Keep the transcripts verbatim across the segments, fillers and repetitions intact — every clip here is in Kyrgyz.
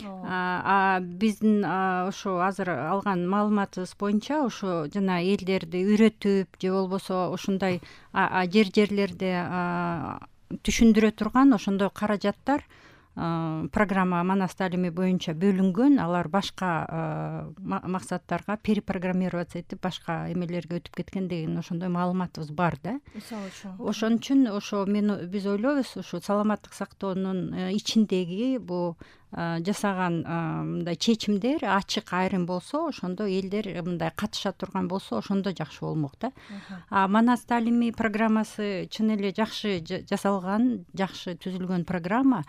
А биздин ошо азыр алган маалыматыбыз боюнча ошо жана элдерди үйрөтүп же болбосо ушундай жер жерлерде түшүндүрө турган ошондой каражаттар программа Манас таалими боюнча бөлүнгөн. Алар башка максаттарга перепрограммироваться этип башка эмелерге өтүп кеткен деген ошондой маалыматыбыз бар да. Мисалы үчүн Ошон үчүн ошо мен биз ойлойбуз ушу саламаттык сактоонун ичиндеги бу жасаган мындай чечимдер ачык айрым болсо, ошондо элдер мындай катыша турган болсо ошондо жакшы болмок да. А Манас таалими программасы чын эле жакшы жасалган, жакшы түзүлгөн программа.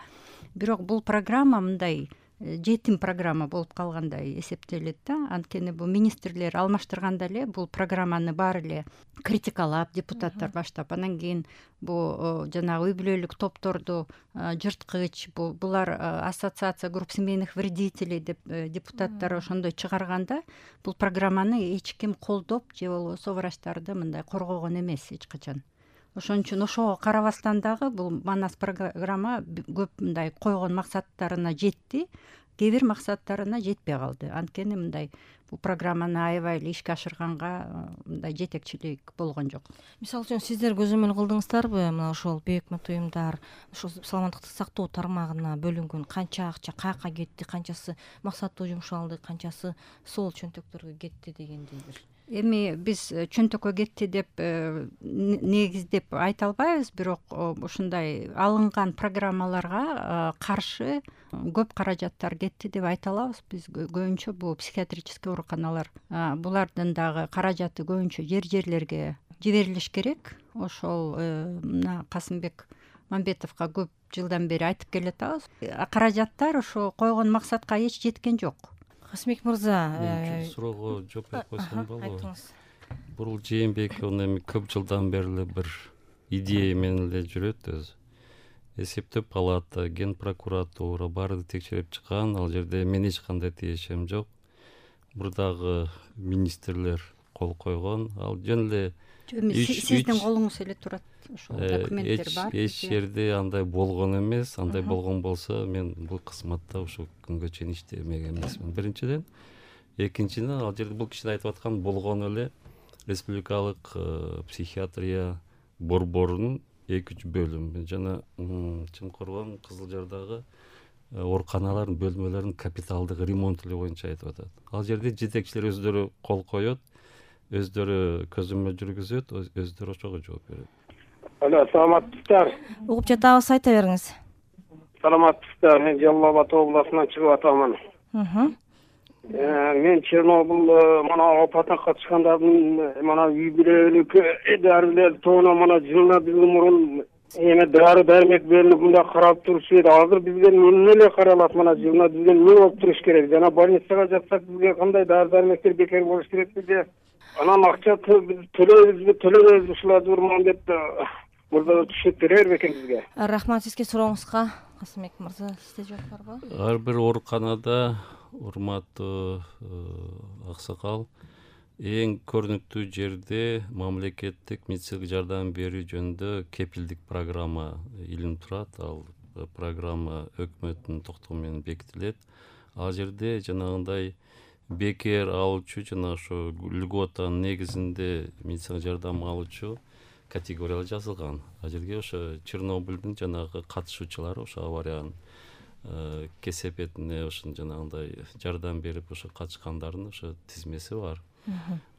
Бирок бул программа мындай жетим программа болуп калгандай эсептелет да. Анткени бул министрлер алмаштырганда эле бул программаны баары эле критикалап, депутаттар баштап, анан кийин бул жанагы үй бүлөлүк топторду жырткыч, булар ассоциация групп семейных вредителей деп депутаттар ошондой чыгарганда, бул программаны эч ким колдоп же болбосо врачтарды мындай коргогон эмес эч качан. Ошон үчүн ошого карабастан дагы бул Манас программа көп мындай койгон максаттарына жетти, кээ бир максаттарына жетпей калды. Анткени мындай бул программаны аябай эле ишке ашырганга мындай жетекчилик болгон жок. Мисалы үчүн сиздер көзөмөл кылдыңыздарбы мына ошол бей өкмөт уюмдар ошол саламаттыкты сактоо тармагына бөлүнгөн канча акча каяка кетти, канчасы максаттуу жумшалды, канчасы сол чөнтөктөргө кетти дегендей бир? Эми биз чөнтөккө кетти деп негиздеп айта албайбыз, бирок ушундай алынган программаларга каршы көп каражаттар кетти деп айта алабыз. Биз көбүнчө бул психиатрический ооруканалар, булардын дагы каражаты көбүнчө жер жерлерге жиберилиш керек. Ошол мына Касымбек Мамбетовго көп жылдан бери айтып келатабыз. Каражаттар ошо койгон максатка эч жеткен жок. Касымбек мырза, суроого жооп берип койсом болобу? Бул Жээнбеков эми көп жылдан бери эле бир идея менен эле жүрөт өзү. Эсептөө палата, ген прокуратура баарды текшерип чыккан, ал жерде мен эч кандай тиешем жок. Бурдагы министрлер кол койгон, ал жөн эле сиздин колуңуз эле турат. Ошол документтер бар. Эч жерде андай болгон эмес. Андай болгон болсо мен бул кызматта ушул күнгө чейин иштемеген эмесмин. Биринчиден, экинчиден ал жерде бул кишинин айтып аткан болгон эле республикалык психиатрия борборунун эки үч бөлүмү жана Чымкырган, Кызыл Жардагы ооруканалардын бөлмөлөрүнүн капиталдык ремонту боюнча айтып атат. Ал жерде жетекчилер өздөрү кол коет, өздөрү көзөмөл жүргүзөт, өздөрү ошого жооп берет. Алло, саламатсыздар. Угуп жатабыз, айта бериңиз. Саламатсыздар. Мен Жалал Абад областынан чыгып атамын. Мен Чернобыль мана апатына катышкандардын мана үй бүлөлүк дарылер тоона мана жылына бир мурун эме дары дармек берилип мында карап турушу эди. Азыр бизге эмне эле каралат? Мана жылына бизге эмне болуп туруш керек? Жана больницага жатсак бизге кандай дары дармектер бекер болуш керекпи же? Анан акча төлөйбүзбү, төлөбөйбүзбү ушуларды урман деп мурда түшүнүп берер бекен бизге. Рахмат сизге сурооңузга. Касымбек мырза, сизде жооп барбы? Ар бир ооруканада, урматтуу аксакал, эң көрүнүктүү жерде мамлекеттик медициналык жардам берүү жөнүндө кепилдик программа илинип турат. Ал программа өкмөттүн токтому менен бекитилет. Ал жерде жанагындай бекер алуучу жана ошо льготанын негизинде медициналык жардам алуучу категориялар жазылган. Ал жерге ошо Чернобыльдин жанагы катышуучулары ошо авариянын кесепетине ошо жанагындай жардам берип ошо катышкандардын ошо тизмеси бар.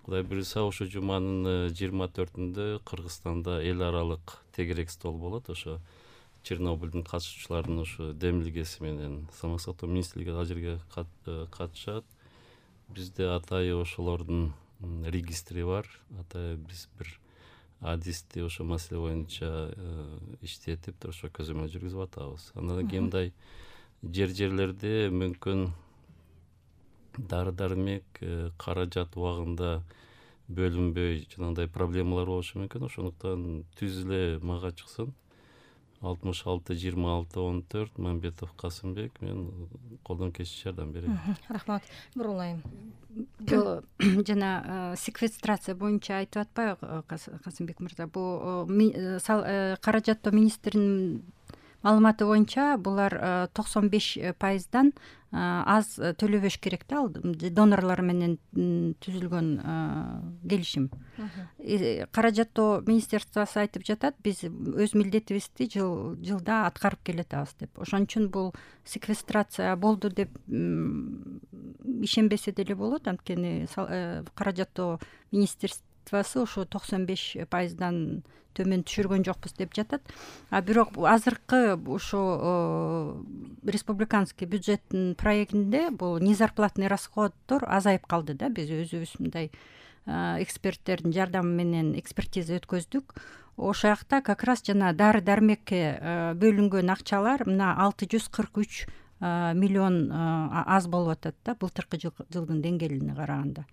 Кудай буюрса ошо жуманын жыйырма төртүндө Кыргызстанда эл аралык тегерек стол болот. Ошо Чернобыльдин катышуучулардын ошо демилгеси менен саламаттык сактоо министрлиги ал жерге катышат. Бизде атайы ошолордун регистри бар. Атайы биз бир адисти ошо маселе боюнча иштетип ошо көзөмөл жүргүзүп атабыз. Андан кийин мындай жер жерлерде мүмкүн дары дармек каражат убагында бөлүнбөй жанагындай проблемалар болушу мүмкүн. Ошондуктан түз эле мага чыксын. алтымыш алты жыйырма алты он төрт Мамбетов Касымбек, мен колдон келишинче жардам берем. Рахмат. Бурулайым. Жана секвестрация боюнча айтып атпайбы Касымбек мырза? Бул каражаттоо министринин маалыматы боюнча булар токсон беш пайыздан аз төлөбөш керек да, ал донорлор менен түзүлгөн келишим. Каражаттоо министерствосу айтып жатат, биз өз милдетибизди жыл жылда аткарып келатабыз деп. Ошон үчүн бул секвестрация болду деп ишенбесе деле болот, анткени каражаттоо министерствосу ушу токсон беш пайыздан төмөн түшүргөн жокпуз деп жатат. А бирок азыркы ушу республиканский бюджеттин проектинде бул незарплатный расходдор азайып калды да. Биз өзүбүз мындай эксперттердин жардамы менен экспертиза өткөздүк. Ошол жакта как раз жана дары дармекке бөлүнгөн акчалар мына алты жүз кырк үч миллион аз болуп атат да, былтыркы жылдын деңгээлине караганда.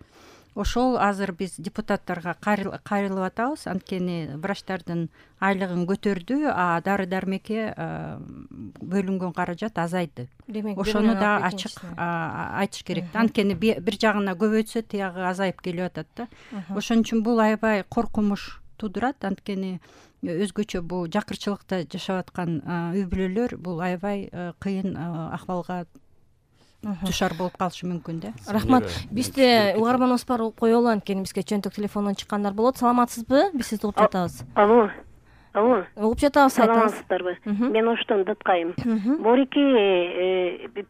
Ошол азыр биз депутаттарга кайрылып атабыз, анткени врачтардын айлыгын көтөрдү, а дары дармекке бөлүнгөн каражат азайды. Ошону да ачык айтыш керек да, анткени бир жагына көбөйтсө тиягы азайып келип атат да. Ошон үчүн бул аябай коркунуч туудурат, анткени өзгөчө бул жакырчылыкта жашап аткан үй бүлөлөр бул аябай кыйын акыбалга душар болуп калышы мүмкүн да. Рахмат. Бизде угарманыбыз бар, коелу, анткени бизге чөнтөк телефондон чыккандар болот. Саламатсызбы? Биз сизди угуп жатабыз. Алло. Алло. Угуп жатабыз, айтыңыз. Саламатсыздарбы? Мен оштон Дыткайым. Борики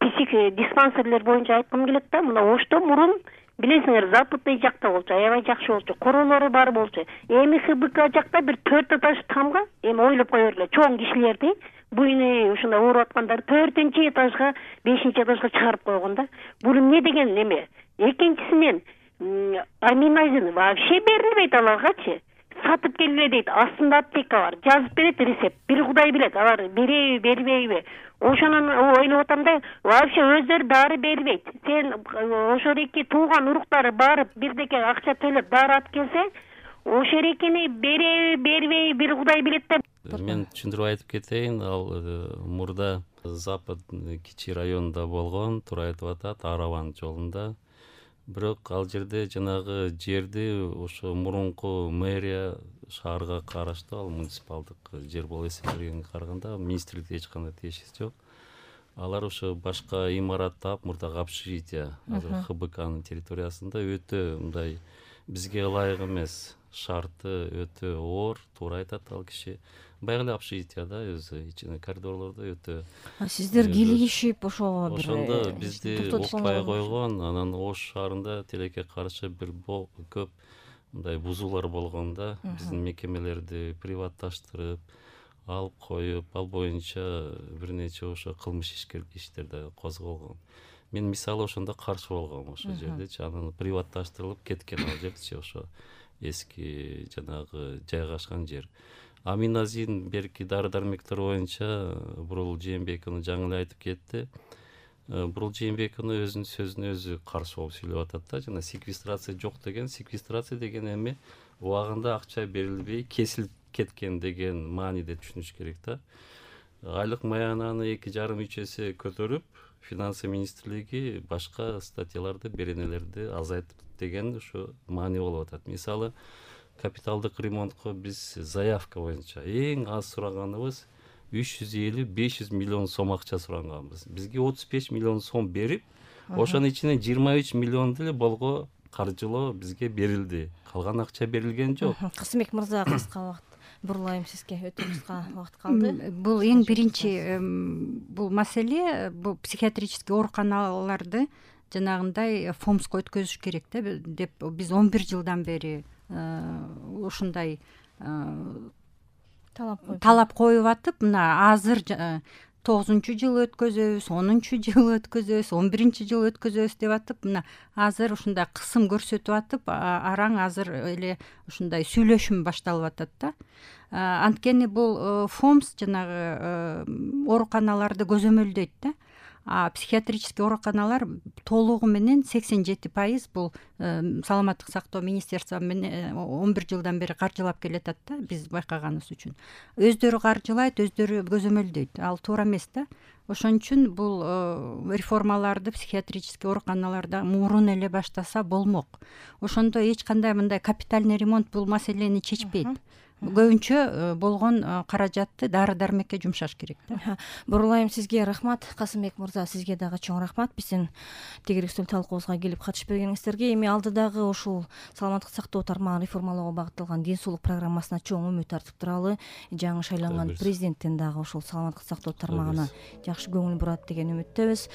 псих диспансерлер боюнча айткым келет да, мына ошто мурун билесиңер, западный жакта болчу, аябай жакшы болчу, королору бар болчу. Эми ХБК жакта бир төрт этаж тамга, эми ойлоп кое бергиле, чоң кишилерди буйны ушундай ооруп аткандар төртүнчү этажга, бешинчи этажга чыгарып койгон да. Бул эмне деген неме? Экинчисинен аминазин вообще берилбейт аларгачы. Сатып келбе дейт, астында аптека бар, жазып берет рецепт. Бир Кудай билет, алар береби, бербейби. Ошонун ойлоп атам да, вообще өздөрү дары бербейт. Сен ошол эки тууган уруктары барып бирдеке акча төлөп дары алып келсе, ошол экини береби, бербейби, бир Кудай билет да. Мен түшүндүрүп айтып кетейин, ал мурда Запад кичи районунда болгон, туура айтып атат, Араван жолунда. Бирок ал жерде жанагы жерди ошо мурунку мэрия шаарга караштуу, ал муниципалдык жер болуп эсептелгенге караганда министрликте эч кандай тиешеси жок. Алар ошо башка имарат таап, мурдагы общежитие азыр ХБКнын территориясында өтө мындай бизге ылайык эмес, шарты өтө оор, туура айтат ал киши. Баягы эле общежитие да, өзү ичине коридорлордо өтө. Сиздер кийлигишип ошого бир ошондо бизди укпай койгон, анан Ош шаарында тилекке каршы бир көп мындай бузуулар болгон да, биздин мекемелерди приватташтырып, алып коюп, ал боюнча бир нече ошо кылмыш иштер да козголгон. Мен мисалы ошондо каршы болгом ошол жердечи, анан приватташтырылып кеткен ал жерчи, ошо эски жанагы жайгашкан жер. Аминазин берки дары дармектер боюнча Бурул Жээнбекова жаңы эле айтып кетти. Бурул Жээнбекова өзүнүн сөзүнө өзү каршы болуп сүйлөп атат да, жана секвестрация жок деген, секвестрация деген эми убагында акча берилбей кесилип кеткен деген мааниде түшүнүш керек да. Айлык маянаны эки жарым үч эсе көтөрүп, финансы министрлиги башка статьяларды, беренелерди азайтып деген ушу маани болуп атат. Мисалы, капиталдык ремонтко биз заявка боюнча эң аз сураганыбыз үч жүз элүү беш жүз миллион сом акча сураганбыз. Бизге отуз беш миллион сом берип, ошонун ичинен жыйырма үч миллион деле болго каржылоо бизге берилди. Калган акча берилген жок. Касымбек мырза, кыска убакыт бурлайм сизге, өтө кыска убакыт калды. Бул эң биринчи бул маселе, бул психиатрический ооруканаларды жанагындай фомско өткөзүш керек да, деп биз он бир жылдан бери ушундай талап коюп атып, мына азыр тогузунчу жыл өткөзөбүз, онунчу жыл өткөзөбүз, он биринчи жыл өткөзөбүз деп атып, мына азыр ушундай кысым көрсөтүп атып, араң азыр эле ушундай сүйлөшүм башталып атат да. Анткени бул фомс жанагы ооруканаларды көзөмөлдөйт да. А психиатрический ооруканалар толугу менен сексен жети пайыз бул саламаттык сактоо министерство менен он бир жылдан бери каржылап келатат да, биз байкаганыбыз үчүн. Өздөрү каржылайт, өздөрү көзөмөлдөйт. Ал туура эмес да. Ошон үчүн бул реформаларды психиатрический ооруканаларда мурун эле баштаса болмок. Ошондо эч кандай мындай капитальный ремонт бул маселени чечпейт. көбүнчө болгон каражатты дары дармекке жумшаш керек да. Бурулайым сизге рахмат. Касымбек мырза, сизге дагы чоң рахмат биздин тегерек стол талкуубузга келип катышып бергениңиздерге. Эми алдыдагы ушул саламаттык сактоо тармагын реформалоого багытталган ден соолук программасына чоң үмүт артып туралы. Жаңы шайланган президенттен дагы ушул саламаттык сактоо тармагына жакшы көңүл бурат деген үмүттөбүз.